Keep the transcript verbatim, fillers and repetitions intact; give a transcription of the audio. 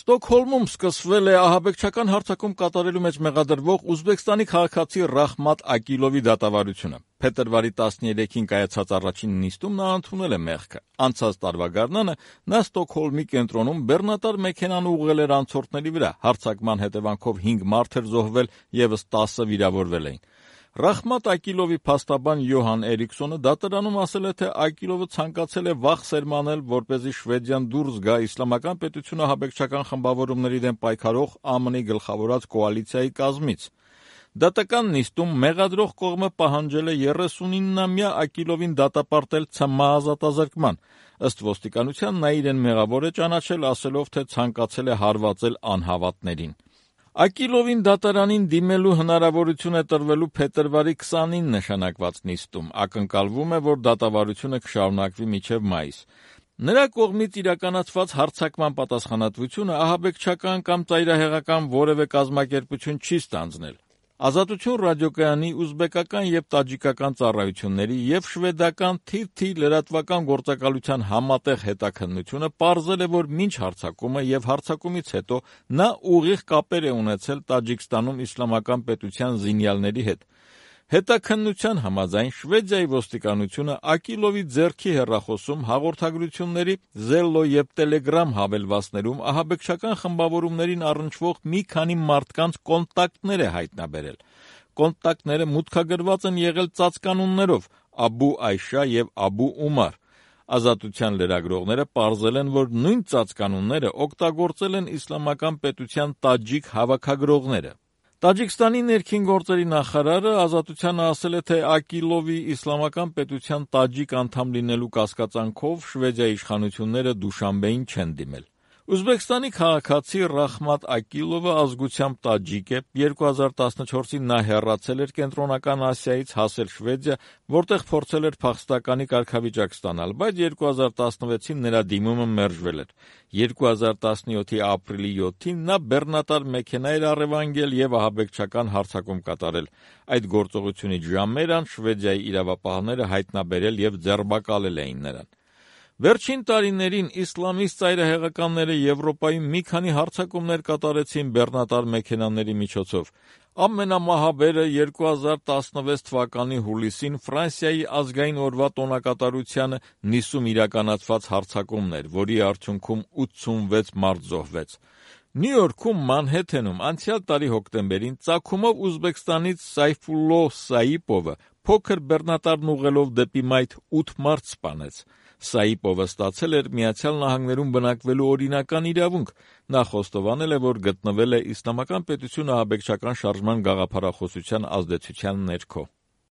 Ստոկհոլմում սկսվել է ահաբեկչական հարձակում կատարելու մեջ մեղադրվող Ուզբեկստանի քաղաքացի Ռախմատ Ակիլովի դատավարությունը։ Փետրվարի տասներեքին կայացած առաջին նիստում նա ընդունել է մեղքը։ Անցած տարվա գարնանը նա Ստոկհոլմի կենտրոնում բեռնատար մեքենան ուղղել էր անցորդների վրա։ Հարձակման հետևանքով հինգ մարդ էր զոհվել, ևս տասը վիրավորվել էին։ Ռախմատ Ակիլովի փաստաբան Յոհան Էրիքսոնը դատարանում ասել է, թե Ակիլովը ցանկացել է վախ սերմանել, որպեսզի Շվեդիան դուրս գա իսլամական պետությունը ահաբեկչական խմբավորումների դեմ պայքարող ԱՄՆ-ի գլխավորած կոալիցիայի կազմից։ Դատական նիստում մեղադրող կողմը պահանջել է երեսունինամյա Ակիլովին դատապարտել ցմահ ազատազրկման։ Ըստ ոստիկանության նա իրեն մեղավոր է ճանաչել, ասելով, թե ցանկացել է հարվածել անհավատներին։ Ակիլովին դատարանին դիմելու հնարավորություն է տրվելու փետրվարի քսանինը նշանակված նիստում։ Ակնկալվում է, որ դատավարությունը կշարունակվի մինչև մայիս։ Նրա կողմից իրականացված հարձակման պատասխանատվությունը ահաբեկչական կամ ծայրահեղական որևէ կազմակերպություն չի ստանձնել։ Ազատություն ռադիոկայանի ուզբեկական և տաջիկական ծառայությունների և շվեդական Թի Թի լրատվական գործակալության համատեղ հետաքննությունը պարզել է, որ մինչ հարձակումը և հարձակումից հետո նա ուղիղ կապեր է ունեցել Տաջիկստանում իսլամական պետության զինյալների հետ։ Հետաքննության համաձայն Շվեդիայի ոստիկանությունը Ակիլովի ձեռքի հեռախոսում, հաղորդագրությունների, Zello և Telegram հավելվածներում ահաբեկչական խմբավորումներին առնչվող մի քանի մարդկանց կոնտակտներ է հայտնաբերել։ Կոնտակտները մուտքագրված են եղել ծածկանուններով Աբու Այշա և Աբու Ումար։ Ազատության լրագրողները պարզել են, որ նույն ծածկանունները օգտագործել են իսլամական պետության տաջիկ հավաքագրողները։ Տաջիկստանի ներքին գործերի նախարարը Ազատությանը ասել է, թե Ակիլովի իսլամական պետության տաջիկ անդամ լինելու կասկածանքով Շվեդիայի իշխանությունները Դուշանբեին չեն դիմել։ Ուզբեկստանի քաղաքացի Ռախմատ Ակիլովը ազգությամբ տաջիկ է։ երկու հազար տասնչորսին նա հեռացել էր Կենտրոնական Ասիայից, հասել Շվեդիա, որտեղ փորձել էր փախստականի կարգավիճակ ստանալ, բայց երկու հազար տասնվեցին նրա դիմումը մերժվել էր։ երկու հազար տասնյոթի ապրիլի յոթին նա բեռնատար մեքենա էր առևանգել և ահաբեկչական հարձակում կատարել։ Այդ գործողությունից ժամեր անց Շվեդիայի իրավապահները հայտնաբերել և ձերբակալել էին նրան։ Վերջին տարիներին իսլամիստ ծայրահեղականները Եվրոպայում մի քանի հարձակումներ կատարեցին բեռնատար մեքենաների միջոցով։ Ամենամահաբերը երկու հազար տասնվեց թվականի հուլիսին Ֆրանսիայի ազգային օրվա տոնակատարությանը Նիսում իրականացված հարձակումն էր, որի արդյունքում ութսունվեց մարդ զոհվեց։ Նյու Յորքում Մանհեթենում անցյալ տարի հոկտեմբերին ծագումով Ուզբեկստանից Սայֆուլլո Սաիպովը փոքր բեռնատարն ուղղելով դեպի մայթ ութ մարդ սպանեց։ Սաիպովը ստացել էր Միացյալ Նահանգներում բնակվելու օրինական իրավունք։ Նա խոստովանել է, որ գտնվել է իսլամական պետություն ահաբեկչական շարժման գաղափարախոսության ազդեցության ներքո։